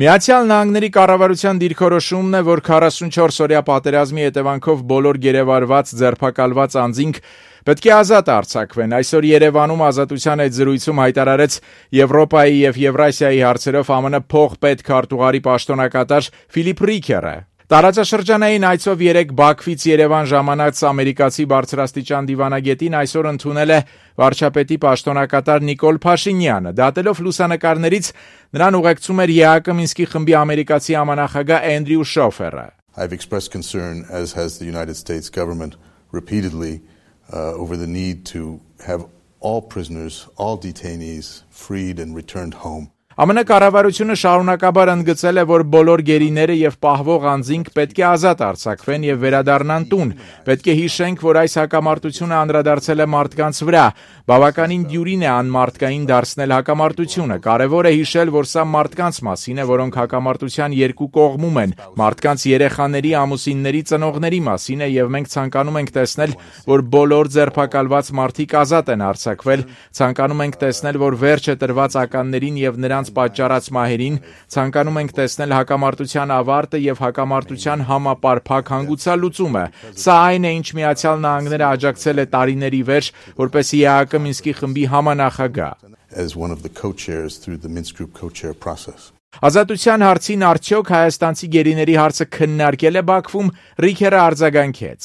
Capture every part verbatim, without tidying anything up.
Միացյալ Նահանգների կառավարության դիրքորոշումն է, որ քառասունչորս օրյա պատերազմի հետևանքով բոլոր գերեվարված, ձերբակալված անձինք պետք է ազատ արձակվեն։ Այսօր Երևանում ազատության այդ զրույցում հայտարարեց Եվրոպայի և Եվրասիայի հարցերով ԱՄՆ փոխպետքարտուղարի պաշտոնակատար Ֆիլիպ Ռիքերը։ Տարածաշրջանային այցով երեկ Բաքվից Երևան ժամանած ամերիկացի բարձրաստիճան դիվանագետին այսօր ընդունել է վարչապետի պաշտոնակատար Նիկոլ Փաշինյանը։ Դատելով լուսանկարներից նրան ուղեկցում էր ԵԱԿ Մինսկի խմբի ամերիկացի համանախագահ Էնդրյու Շոֆերը։ I've expressed concern, as has the United States government repeatedly, uh, over the need to have all prisoners, all detainees freed and returned home. ԱՄՆ կառավարությունը շարունակաբար ընդգծել է, որ բոլոր գերիները եւ պահվող անձինք պետք է ազատ արձակվեն եւ վերադառնան տուն։ Պետք է հիշենք, որ այս հակամարտությունը անդրադարձել է մարդկանց վրա։ Բավականին դյուրին է անմարդկային դարձնել հակամարտությունը։ Կարևոր է հիշել, որ սա մարդկանց մասին է, որոնք հակամարտության երկու կողմում են։ Մարդկանց երեխաների, ամուսինների, ծնողների մասին է եւ մենք ցանկանում ենք տեսնել, որ բոլոր ձերբակալված մարդիկ ազատ են արձակվել։ Ցանկանում ենք տեսնել, որ վերջը տրված ականներին եւ նրանց պատճառած մահերին, ցանկանում ենք տեսնել հակամարտության ավարտը եւ հակամարտության համապարփակ հանգուցալուծումը։ Սա այն է, ինչ Միացյալ Նահանգները աջակցել է տարիների վերջ, որպես ԵԱԿ Մինսկի խմբի համանախագահ։ As one of the co-chairs through the Minsk Group co-chair process. Ազատության հարցին արդյոք հայաստանցի գերիների հարցը քննարկել է Բաքվում, Ռիքերը արձագանքեց.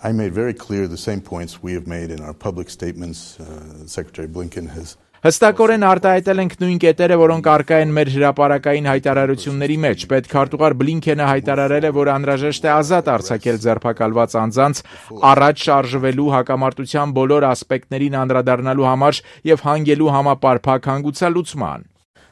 I made very clear the same points we have made in our public statements. Uh, Secretary Blinken has Հստակորեն արտահայտել ենք նույն կետերը, որոնք առկա են մեր հրապարակային հայտարարությունների մեջ։ Պետքարտուղար Բլինքենը հայտարարել է, որ անհրաժեշտ է ազատ արձակել ձերբակալված անձանց, առաջ շարժվելու հակամարտության բոլոր ասպեկտներին անդրադառնալու համար եւ հանգելու համապարփակ հանգուցալուծման։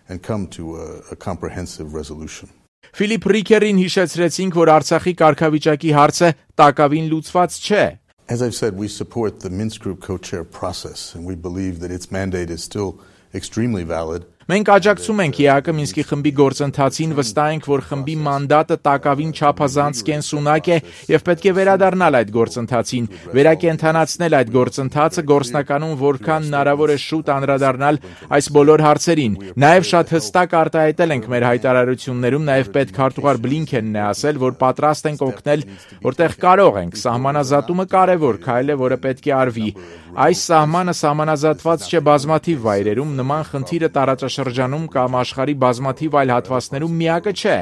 and come to a, a comprehensive resolution. Ֆիլիպ Ռիքերին հիշեցրեցինք, որ Արցախի կարգավիճակի հարցը տակավին լուծված չէ։ As I've said, we support the Minsk Group co-chair process, and we believe that its mandate is still extremely valid. Մենք աջակցում ենք ԵԱԿ Մինսկի խմբի գործընթացին, վստահ ենք, որ խմբի մանդատը տակավին չափազանց կենսունակ է եւ պետք է վերադառնալ այդ գործընթացին, վերակենդանացնել այդ գործընթացը, գործնականում որքան հնարավոր է շուտ անդրադառնալ այս բոլոր հարցերին։ Նաեւ շատ հստակ արտահայտել ենք մեր հայտարարություններում, նաեւ պետքարտուղար Բլինքենն է ասել, որ պատրաստ ենք օգնել, որտեղ կարող ենք։ Սահմանազատումը կարևոր քայլ է, որը պետք է արվի։ Այս սահմանը սահմանազատված չէ բազմաթիվ վայրերում, նման խնդիրը տարածաշրջանում կամ աշխարհի բազմաթիվ այլ հատվածներում միակը չէ։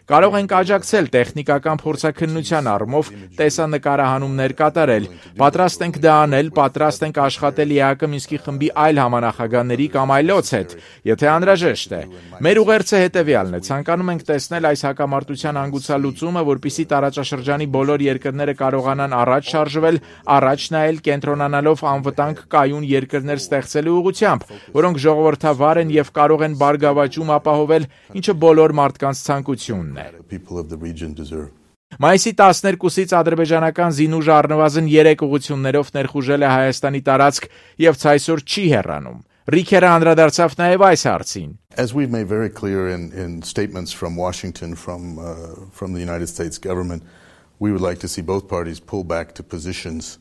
Կարող ենք աջակցել տեխնիկական փորձաքննության առումով, տեսանկարահանումներ կատարել, պատրաստ ենք դա անել, պատրաստ ենք աշխատել ԵԱԿ Մինսկի խմբի այլ համանախագահների կամ այլոց հետ, եթե անհրաժեշտ է։ Մեր ուղերձը հետևյալն է. ցանկանում ենք տեսնել այս հակամարտության հանգուցալուծումը, որպեսզի տարածաշրջանի բոլոր երկրները կարողանան առաջ շարժվել, առաջ նայել, կենտրոնանալով անվտանգ կայուն երկրներ ստեղծելու ուղղությամբ, որոնք ժողովրդավար են եւ կարող են բարգավաճում ապահովել, ինչը բոլոր մարդկանց ցանկությունն է։ People of the region deserve. Մայիսի տասներկուսից ադրբեջանական զինուժը առնվազն երեք ուղղություններով ներխուժել է Հայաստանի տարածք եւ ցայսօր չի հեռանում։ Ռիքերը անդրադարձավ նաեւ այս հարցին։ As we've made very clear in, in statements from Washington, from, uh, from the United States government, we would like to see both parties pull back to positions,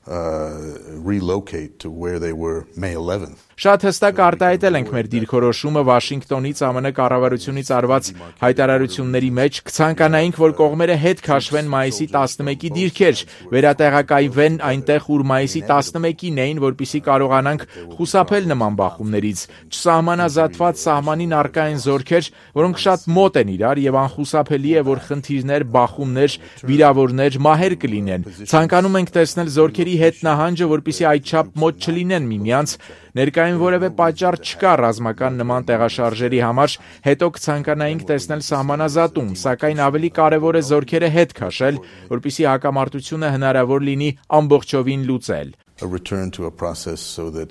uh, relocate to where they were May eleventh. Շատ հստակ արտահայտել ենք մեր դիրքորոշումը Վաշինգտոնից ԱՄՆ կառավարությունից արված հայտարարությունների մեջ, կցանկանայինք, որ կողմերը հետ քաշվեն մայիսի տասնմեկի դիրքեր, վերատեղակայվեն այնտեղ, ուր մայիսի տասնմեկին էին, որպեսզի կարողանանք խուսափել նման բախումներից։ Չսահմանազատված սահմանին առկա են զորքեր, որոնք շատ մոտ են իրար եւ անխուսափելի է, որ խնդիրներ, բախումներ, վիրավորներ, մահեր կլինեն։ Ցանկանում ենք տեսնել զորքերի հետ նահանջը, որպեսզի այդչափ մոտ չլինեն միմյանց։ Ներկային որևէ պատճառ չկա ռազմական նման տեղաշարժերի համար, հետո կցանկանայինք տեսնել սահմանազատում, սակայն ավելի կարևոր է զորքերը հետ քաշել, որպեսզի հակամարտությունը հնարավոր լինի ամբողջովին լուծել։ A return to a process so that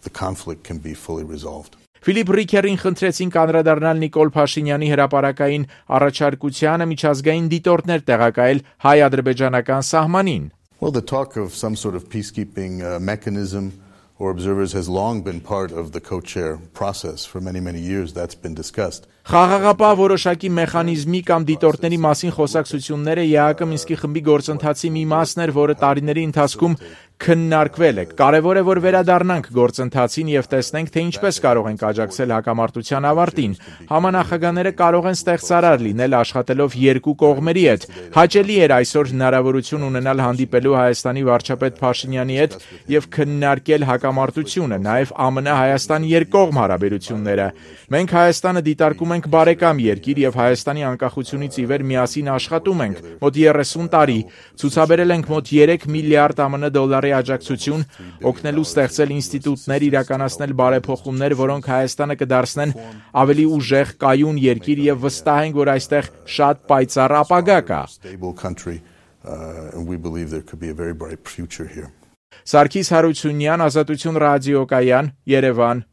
the conflict can be fully resolved. Ֆիլիպ Ռիքերին խնդրեցինք անդրադառնալ Նիկոլ Փաշինյանի հրապարակային առաջարկությանը միջազգային դիտորդներ տեղակայել հայ-ադրբեջանական սահմանին։ Well, the talk of some sort of peacekeeping uh, mechanism or observers has long been part of the co-chair process. For many, many years that's been discussed. Խաղաղապահ որոշակի մեխանիզմի կամ դիտորդների մասին խոսակցությունները ԵԱՀԿ Մինսկի խմբի գործընթացի մի մասն էր, որը տարիների ընթացքում քննարկվել է։ Կարևոր է, որ վերադառնանք գործընթացին եւ տեսնենք, թե ինչպես կարող ենք աջակցել հակամարտության ավարտին։ Համանախագահները կարող են ստեղծարար լինել աշխատելով երկու կողմերի հետ։ Հաճելի էր այսօր հնարավորություն ունենալ հանդիպելու Հայաստանի վարչապետ Փաշինյանի հետ եւ քննարկել հակամարտությունը, նաեւ ԱՄՆ-Հայաստան երկկողմ հարաբերությունները։ Մենք Հայաստանը դիտարկում ենք բարեկամ երկիր եւ Հայաստանի անկախությունից ի վեր միասին աշխատում ենք մոտ երեսուն տարի, ցուցաբերել ենք մոտ երեք միլիարդ ԱՄՆ դոլարի աջակցություն, օգնելու ստեղծել ինստիտուտներ, իրականացնել բարեփոխումներ, որոնք Հայաստանը կդարձնեն ավելի ուժեղ, կայուն երկիր եւ վստահ ենք, որ այստեղ շատ պայծառ ապագա կա։ Սարգիս Հարությունյան, Ազատություն ռադիոկայան, Երևան։